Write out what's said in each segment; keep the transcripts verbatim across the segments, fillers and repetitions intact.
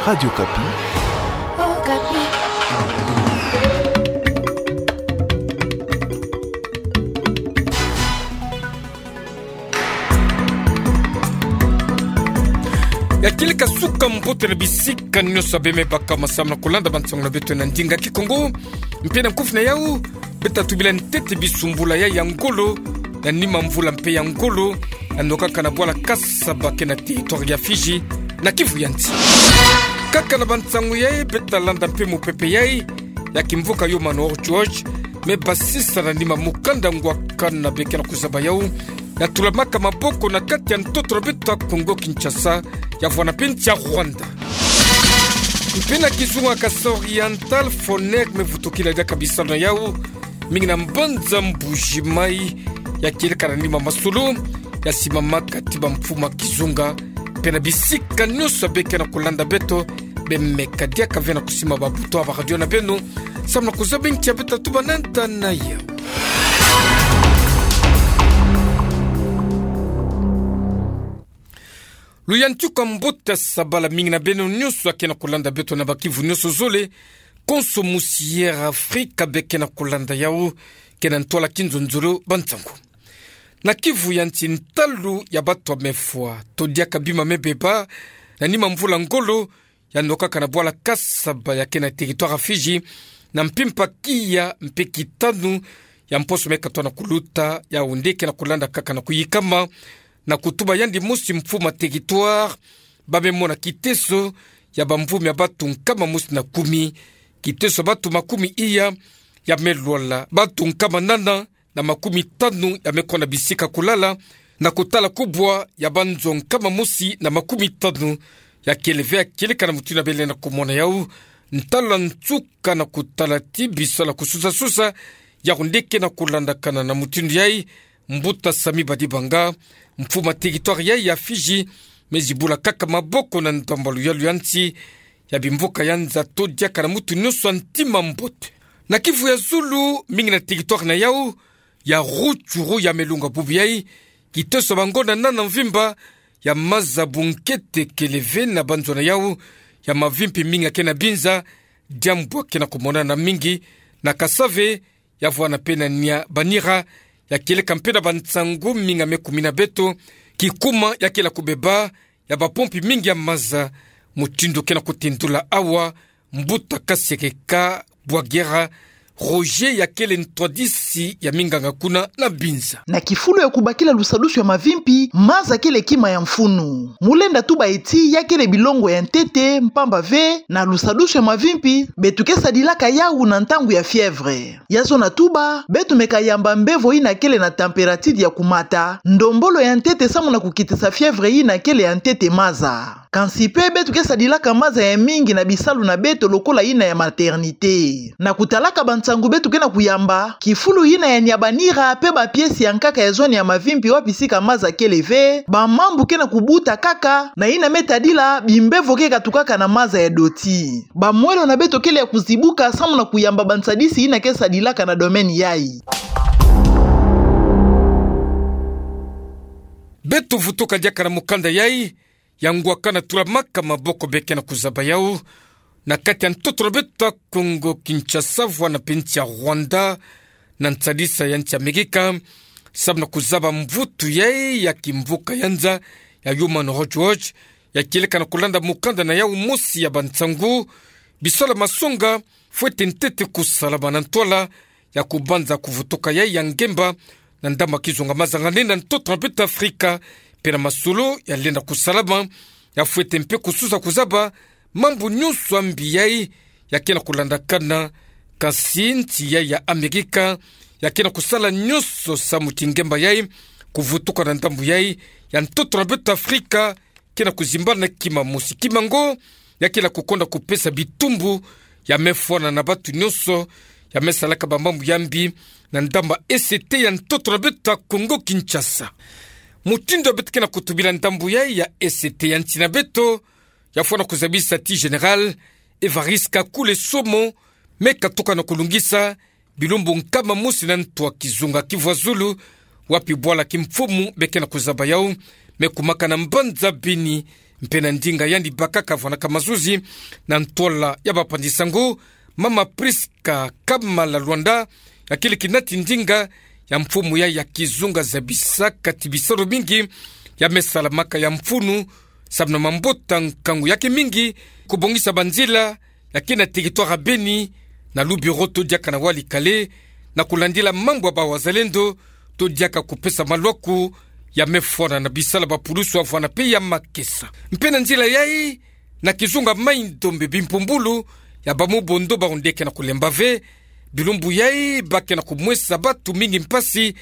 Radio Okapi. Okapi. Ya kieleka suka mbote na bisika nyonso bemebaka masamu na kulanda bansangu na beto na ndinga Kikongo. Mpe na nkufi na yau, beta tubila ntete bisumbula ya, ya ngolo, na nima mvula mpe ya ngolo, yanokaka na bwala Kasaba ke na territoire ya Fidji, na Kivu ya nsi. Kaka na bansangu yai, beta landa mpe mupepe yai, ya kimvuka Human Rights Watch, me basisa na nima mukanda ngwakana beke na kuzaba yau, ya tulamaka maboko na kati ya ntoto na beto ya Kongo Kinshasa, ya vwanda mpe nsi ya Rwanda. Mpe na kizunga Kasaï Oriental, Fonek me vutukila diaka bisalu na yau, mingi na mbanza Mbuji Mayi, ya kieleka na nima masolo, ya simamaka ti bamfumu ya kizunga, mpe na bisika nyonso beke na kulanda beto, bemeka diaka ve na kusimba babuto ya baradio na beno, samu na kuzaba nki ya beta tuba na nta na yau. Luyantika mbote, sabala mingi na beno nyonso ya ke na kulanda beto na ba-Kivu nyonso zole, konso musi ya Afrika beke na kulanda yau, ke na ntwala kinzonzolo bansangu. Na Kivu ya nsi, ntalu ya bato ya mefwa to diaka bima me beba, na nima mvula ngolo, yanokaka na bwala Kasaba ya ke na territoire ya Fidji, na mpimpa kiya mpe kitanu ya mposo me katoa na kuluta, yau nde ke na kulanda kaka na kuyikama, na kutuba yandi mosi mfumu ya territoire, ba me mona kiteso ya bamvumi ya bato nkama mosi na kumi, kiteso ya bato makumi iya ya me lwala, bato nkama nana na makumi tanu ya me kosa bisika kulala, na kotala kubwa ya banzo nkama mosi na makumi tanu ya kele ve ya kieleka na mutindu ya bele na kumona yau, ntalu ya nsuka na kotala ti bisalu ya kususasusa, yau nde ke na kulandakana. Na mutindu yai, mbuta Samy Badibanga, mfumu ya territoire yai ya Fidji, me zibula kaka maboko na ndambu ya luyalu ya nsi, ya bimvuka ya nza to diaka na mutu nyonso ya ntima mbote. Na Kivu ya zulu, mingi na territoire na yau ya Rutshuru ya me lunga bubu yai, kiteso ya bangonda nana mvimba ya maza bunkete kele ve na banzo na yau, ya mavimpi mingi ya ke na binza, diambu ya ke na kumonana mingi na Kasave, ya vwanda mpe na Nyabanyira, ya kieleka mpe na bansangu mingi ya me kumina beto, kikuma ya kele ya kubeba ya bapompi mingi ya maza, mutindu ke na kutindula awa mbuta Kasereka Bwagera Roger, ya kele ntwadisi ya minganga kuna na binza. Na kifulu ya kubakila lusadusu ya mavimpi, maza kele kima ya mfunu. Mu lenda tuba ti ya kele bilongo ya ntete, mpamba ve na lusadusu ya mavimpi, beto ke sadilaka yau na ntangu ya fièvre. Ya zona tuba, beto meka yamba mbevo yina kele na température ya kumata, ndombolo ya ntete samu na kukitisa fièvre yina kele ya ntete maza. Kansi mpe beto ke sadilaka maza ya mingi na bisalu na beto lokola yina ya maternité. Na kutalaka bansangu beto ke na kuyamba, kifulu yina ya Nyabanyira mpe bapièce ya nkaka ya zone ya mavimpi wapi sika maza kele ve, bamambu ke na kubuta kaka, na yina me tadila bimbevo ke katukaka na maza ya doti. Bamwelo na beto kele ya kuzibuka samu na kuyamba bansadisi yina ke sadilaka na domaine yai. Beto vutuka diaka na mukanda yai, ya ngwakana tulamaka maboko beke na kuzaba yau, na kati ya ntoto na beto ya Kongo Kinshasa, vwanda mpe nsi ya Rwanda, na nsadisa ya nsi ya Amerika, samu na kuzaba mvutu yai ya kimvuka ya nza ya Human Rights Watch, ya kieleka na kulanda mukanda na yau mosi ya bansangu, bisalu ya masonga fwete ntete kusalama na ntwala ya kubanza kuvutuka yai ya ngemba na ndambu ya kizunga mazanganene na ntoto na beto Afrika, mpe na masolo ya lenda kusalama, ya fwete mpe kususa kuzaba mambu nyonso ya mbi yai ya ke na kulandakana, kansi nsi yai ya Amerika ya ke na kusala nyonso samu ti ngemba yai kuvutuka na ndambu yai ya ntoto na beto Afrika, ke na kuzimbana kima mosi. Kima ngo, ya kele ya kukonda kupesa bitumbu ya me fwana na bato nyonso ya me salaka bamambu ya mbi na ndambu ya E C T ya ntoto na beto ya Kongo Kinshasa. Mutindu ya beto ke na kutubila ndambu yai ya E C T ya nsi na beto, ya fwana kuzabisa ti Général Évariste Kakule Somo me katuka na kulungisa bilumbu nkama mosi na ntu ya kizunga Kivu ya Zulu, wapi bwala kimfumu beke na kuzaba yau me kumaka na mbanza Beni, Mpe na ndinga yandi bakaka vwanaka mazuzi na ntwala ya bapanzi-nsangu, Mama Prisca Kamala Luanda, akili kinati ndinga ya mfumu ya, ya kizunga zabisaka ti bisalu mingi ya me salamaka ya mfunu, samu na mabota nkangu yake mingi, kubongisa banzila, yake na territoire ya Beni, na lu bureau to diaka na Walikale, na kulandila mambu ya bawazalendo, to diaka kupesa malwaku ya me fwana na bisalu ya bapulusu ya vwana pe ya makesa. Mpe na nzila yayi, na kizunga Maï-Ndombe bimpumbulu ya bamubondo bawu nde ke na kulemba ve, bilumbu yayi ba ke na kumwesa batu mingi mpasi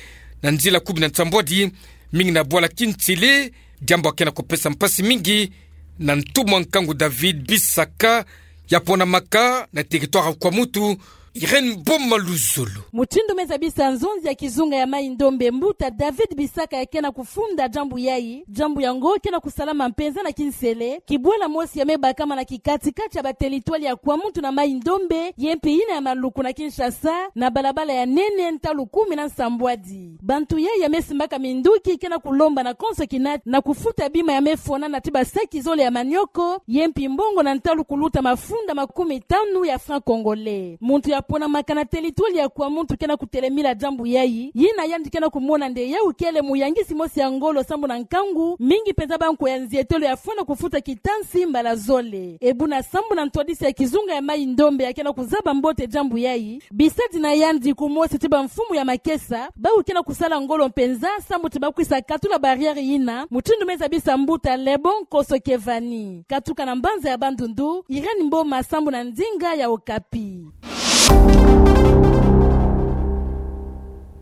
na nzila kumi na nsambwadi, mingi na bwala Kintele, diambu ya ke na kupesa mpasi mingi na ntumwa nkangu David Bisaka, ya ponamaka na territoire ya Kwamutu, Irène Boma Luzolo. Mutindu me zabisa nzonzi ya kizunga ya Maï-Ndombe, mbuta David Bisaka ya ke na kufunda diambu yayi, diambu yango ke na kusalama mpenza na kinsele, kibwela mosi ya me bakama na kikati-kati ya ba territoire ya Kwamutu na Maï-Ndombe, ye mpi yina ya Maluku na Kinshasa, na balabala ya nene ntalu kumi na nsambwadi. Bantu yayi ya me simbaka minduki ke na kulomba na konso kinati na kufuta bima ya me fwanana ti basaki zole ya manioko, ye mpi mbongo na ntalu kuluta mafunda makumi tanu ya francs congolais. Muntu ya ponamaka na territoire ya Kwamutu ke na kutelemila diambu yayi, yina yandi ke na kumona nde yawu kele muyangisi mosi ya ngolo sambu na nkangu, mingi mpenza ba nkwa ya nzietelo ya fwana kufuta kitansi mbala zole. E buna sambu na ntwadisi ya kizunga ya Maï-Ndombe ya ke na kuzaba mbote diambu yayi, bisadi na yandi kumosi ti bamfumu ya makesa, bawu ke na kusala ngolo mpenza, sambu ti bakwisa katula barrière yina, mutindu me zabisa mbuta Lebon Koso Kevani. Katuka na mbanza ya Bandundu, Irène Mboma sambu na ndinga ya Okapi.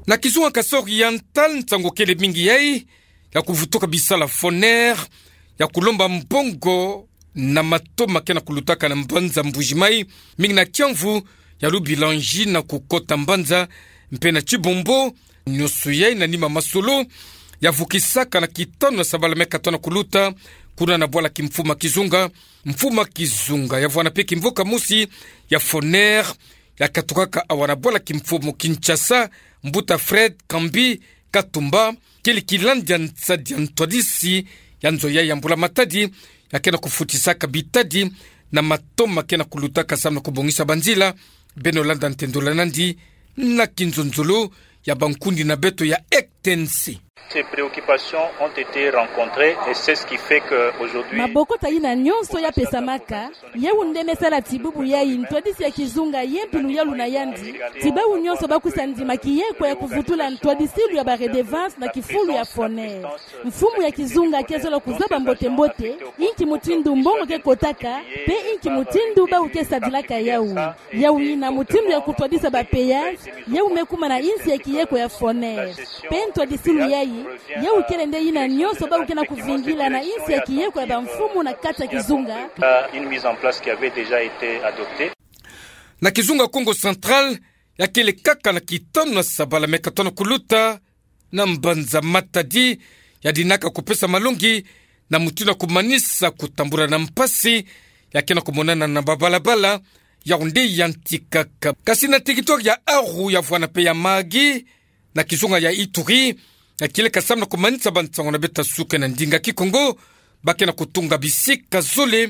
Na kizunga Kasaï Oriental, nsangu kele mingi yayi, ya kuvutuka bisalu ya Foner, ya kulomba mbongo na matoma ke na kulutaka na mbanza Mbuji-Mayi, mingi na kiamvu ya Lubilanji na kukota mbanza, mpe na Tshibombo, nyonso yayi na nima masolo, ya vukisaka na kitanu ya sabala meka tona kuluta, kuna na bwala kimfumu ya kizunga, mfumu ya kizunga ya vwana pe kimvuka mosi ya Foner, ya katukaka awa na bwala kimfumu Kinshasa, mbuta Fred Kambi Katumba, kele kilandi ya nsadi ya ntwadisi ya nzo yayi ya mbula-matadi, ya ke na kufutisaka bitadi na matoma ke na kulutaka samu na kubongisa banzila. Beno landa ntendolo nandi na kinzonzolo ya bankundi na beto ya R T N C. Ces préoccupations ont été rencontrées et c'est ce qui fait que aujourd'hui... Mabokota yina nyonso ya pesamaka, yawu nde me sala ti bubu yayi ntwadisi ya kizunga ye mpi luyalu na yandi, ti bawu nyonso bakwisa ndima kiyekwa ya kuvutula ntwadisilu ya ba redevance na kifulu ya Foner. Mfumu ya kizunga ke zola kuzaba mbote-mbote inki mutindu mbongo ke kotaka, pe inki mutindu bawu ke sadilaka yawu. Yawu yina mutindu ya kutwadisa ba péage, yawu me kuma na insi ya kiyekwa ya Foner. Pe ntwadisilu yayi, yawu kele nde yina nyonso bawu ke na kuvingila na insi ya kiyekwa ya bamfumu na kati ya kizunga. Une mise en place qui avait déjà été adoptée. Na kizunga Kongo Central, ya kele kaka na kitanu ya sabala meka tona kuluta, na mbanza Matadi, ya dinaka kupesa malongi na mutindu ya kumanisa kutambula na mpasi ya ke na kumonana na babalabala, yawu nde yantikaka. Kasi na territoire ya Aru, ya vwana pe ya Mahagi, na kizunga ya Ituri, ya kieleka samu na kumanisa bansangu na beto ya suka na ndinga Kikongo, ba ke na kutunga bisika zole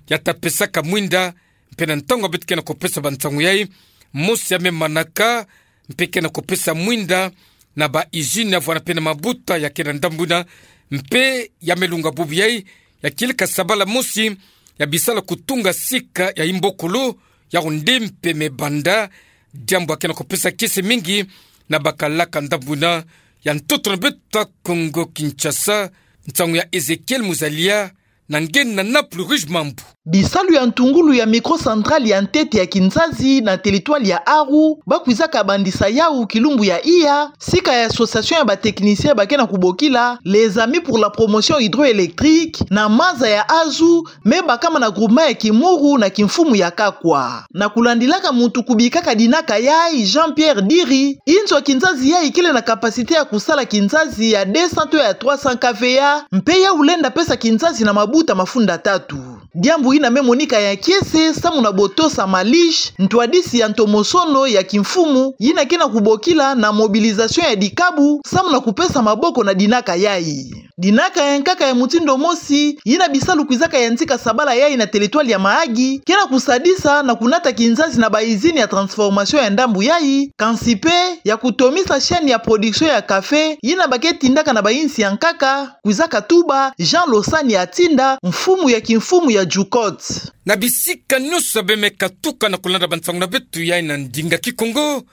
ya ta pesaka mwinda, mpe na ntangu beto ke na kupesa bansangu yayi, mosi ya me manaka, mpe ke na kupesa mwinda na ba usine ya vwana pe na mabuta ya ke na ndambu yina, mpe ya me lunga bubu yayi, ya kieleka sabala mosi ya bisala kutunga sika ya imbokolo, yawu nde mpe me banda, diambu ya ke na kupesa kiese mingi na bakalaka ndambu yina ya ntoto na beto ya Kongo Kinshasa. Nsangu ya Ezekiel Muzalia, na nge na Naples Rouge Mambu. Bisalu ya ntungulu ya micro-centrale ya ntete ya kinzazi na territoire ya Aru, ba kwizaka bandisa yawu kilumbu ya iya, sika ya association ya ba techniciens ba ke na kubokila Les Amis pour la Promotion Hydroélectrique, na maza ya Azu, me bakama na groupement ya Kimuru na kimfumu ya Kakwa. Na kulandilaka muntu kubikaka dinaka yayi, Jean-Pierre Diri, inzo ya kinzazi yayi kele na capacité ya kusala kinzazi ya deux cents to ya trois cents K V A, mpe yawu lenda pesa kinzazi na mabuta mafunda tatu. Diambu yina me monika ya kiese samu na botosa Malish, ntwadisi ya ntomosono ya kimfumu, yina ke na kubokila na mobilisation ya dikabu samu na kupesa maboko na dinaka yayi. Dinaka ya nkaka ya mutindu mosi, yina bisalu kwizaka yantika sabala yayi na territoire ya Mahagi, ke na kusadisa na kunata kinzazi na ba usine ya transformation ya ndambu yayi, kansi pe ya kutomisa chaîne ya production ya café, yina ba ke tindaka na bayinsi ya nkaka, kwizaka tuba Jean Losani Atinda, mfumu ya kimfumu ya JUCOT. Na bisika nyonso ya bemeka tuka na kulanda bansangu na beto yayi na ndinga Kikongo,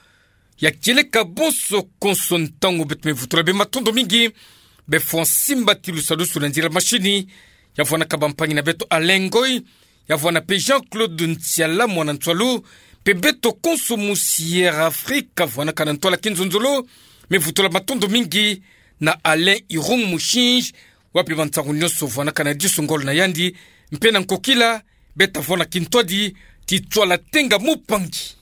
ya kieleka bonso konso ntangu beto me vutula bê matondo mingi, be fwa simba ti lusadusu na nzila mashini, ya vwanaka bampangi na beto Alain Ngoy, ya vwana pe Jean-Claude Ntiala mwana Ntsoalo, pe beto konso musi Air Afrique vwanaka na ntwala kinzonzolo, me vutula matondo mingi na Alain Irung Mushinji, wapi bansangu nyonso vwanaka na diso ngolo na yandi, mpe na nkokila, bê ta vwanda kintwadi, ti tsola tenga mupangi.